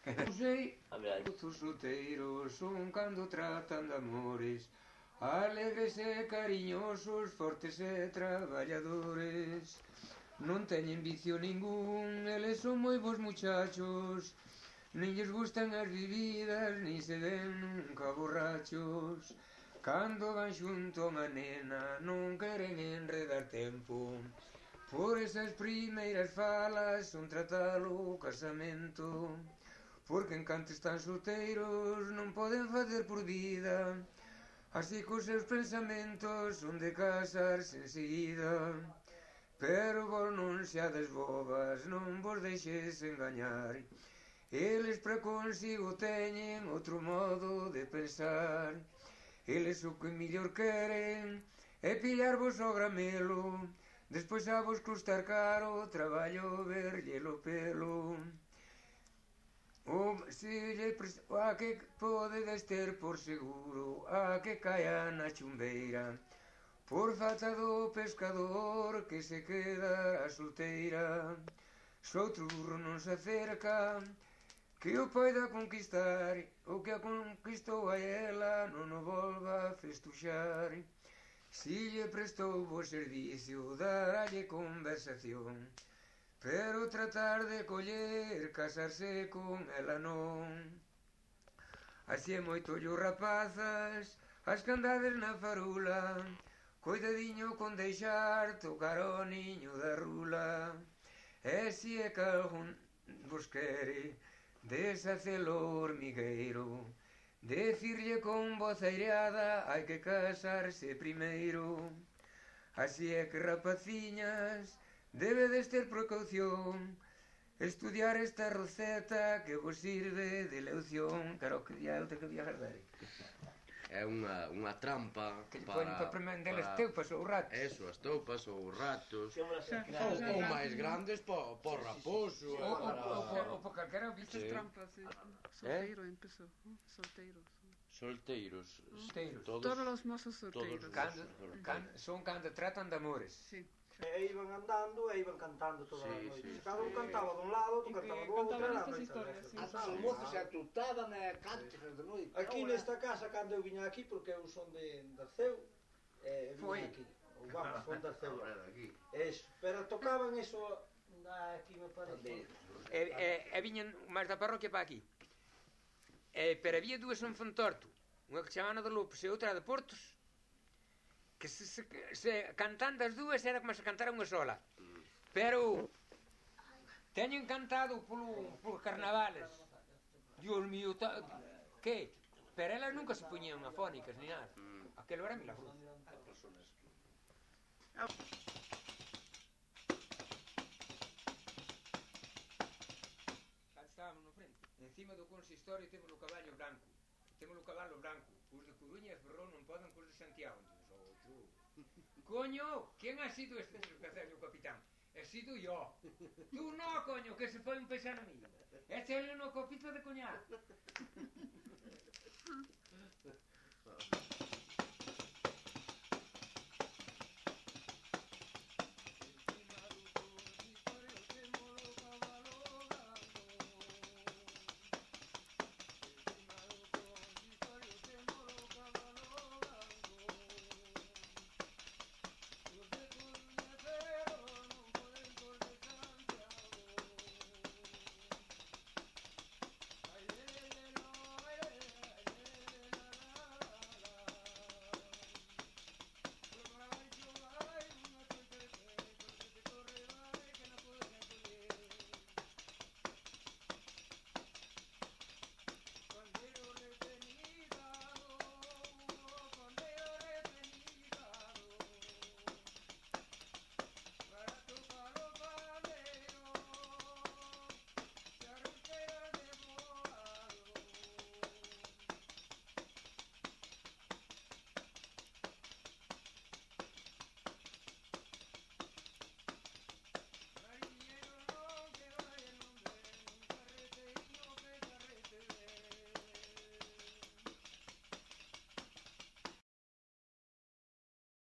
Non sei, os solteiros son cando tratan de amores, alegres e cariñosos, fortes e traballadores. Non teñen vicio ningún, eles son moi bons muchachos, nin lles gustan as bebidas, nin se ven nunca borrachos. Cando van xunto a unha nena non queren enredar tempo, por esas primeiras falas son tratalo o casamento. Porque en canto están solteiros non poden facer por vida, así que os seus pensamentos son de casarse enseguida. Pero vos non seades bobas, non vos deixes engañar, eles para consigo teñen outro modo de pensar. Eles o que mellor queren é pillarvos ao gramelo, despois a vos custar caro o traballo verllelo pelo. A que podedes ter por seguro, a que caia na chumbeira, por falta do pescador que se queda a solteira. Soutro burro non se acerca que o poida conquistar, o que a conquistou a ela non o volva a festuxar. Si lle prestou bo servicio, daralle conversación, pero tratar de coller, casarse con ela non. Así é moito ollo rapazas, as que andades na farula, coidadiño con deixar tocar o niño da rula. E si é que algún vos quere deshacelo hormigueiro, decirlle con voz aireada hai que casarse primeiro. Así é que rapaciñas, debedes ter precaución, estudiar esta receta que vos sirve de lección. Claro, que día outra que día guardar. É unha trampa que lle ponen para prender as teupas ou ratos. Eso, as teupas ou os ratos. Ou máis grandes por raposo. Ou por calquera bicho. Estas trampas, solteiro empezou. Solteiros. Todos os mozos solteiros. Son cando tratan de amores. Sí. E iban andando e iban cantando toda a noite. Cada un cantaba dun lado, outro cantaba do outro. Contaban estas historias, sí. Os mozos se atutaban e cánticos de noite. Aquí nesta casa, cando eu viña aquí, porque eu son de Arceu, viña aquí. Ou vamos, son de Arceu. Pero tocaban eso aquí, me parece. E viñan máis da parroquia para aquí. Pero había dúas en Fontorto, unha que chamaban de Lopes e outra de Portos, que se cantando as dúas era como se cantara unha sola. Pero teñen cantado por carnavales. Dios mío, que? Pero elas nunca se poñían afónicas ni nada. Aquelo era milagroso. Estábamos no frente, encima do consistorio temos o caballo branco, temos o cabalo branco, os de Coruña e Ferrol non poden cos de Santiago. Coño, quen ha sido este desgraciado capitán? He sido yo. Tú no, coño, que se foi un paisano mío. Échale no copito de coñac.